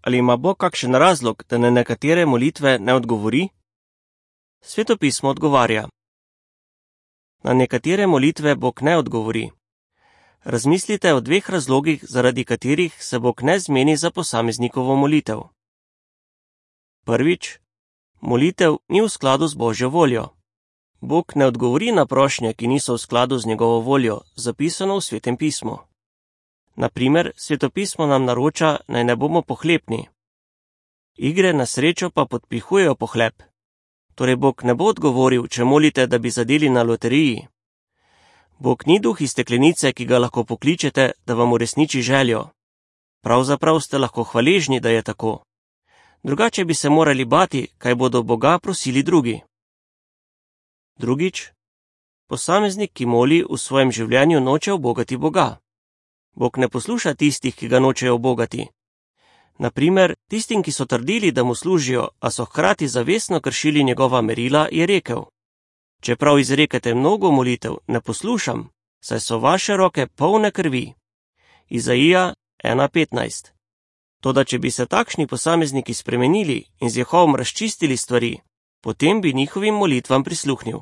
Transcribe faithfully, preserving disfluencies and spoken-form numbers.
ali ima Bog kakšen razlog, da na nekatere molitve ne odgovori? Sveto pismo odgovarja. Na nekatere molitve Bog ne odgovori. Razmislite o dveh razlogih, zaradi katerih se Bog ne zmeni za posameznikovo molitev. Prvič, molitev ni v skladu z Božjo voljo. Bog ne odgovori na prošnje, ki niso v skladu z njegovo voljo, zapisano v Svetem pismu. Naprimer, Sveto pismo nam naroča, naj ne bomo pohlepni. Igre na srečo pa podpihujejo pohlep. Torej Bog ne bo odgovoril, če molite, da bi zadeli na loteriji. Bog ni duh iz steklenice, ki ga lahko pokličete, da vam uresniči željo. Pravzaprav ste lahko hvaležni, da je tako. Drugače bi se morali bati, kaj bodo Boga prosili drugi. Drugič, posameznik, ki moli, v svojem življenju noče ubogati Boga. Bog ne posluša tistih, ki ga nočejo ubogati. Naprimer, tistim, ki so trdili, da mu služijo, a so hkrati zavestno kršili njegova merila, je rekel: Čeprav izrekate mnogo molitev, ne poslušam, saj so vaše roke polne krvi. Izaija ena petnajst. Toda če bi se takšni posamezniki spremenili in z Jehovom razčistili stvari, potem bi njihovim molitvam prisluhnil.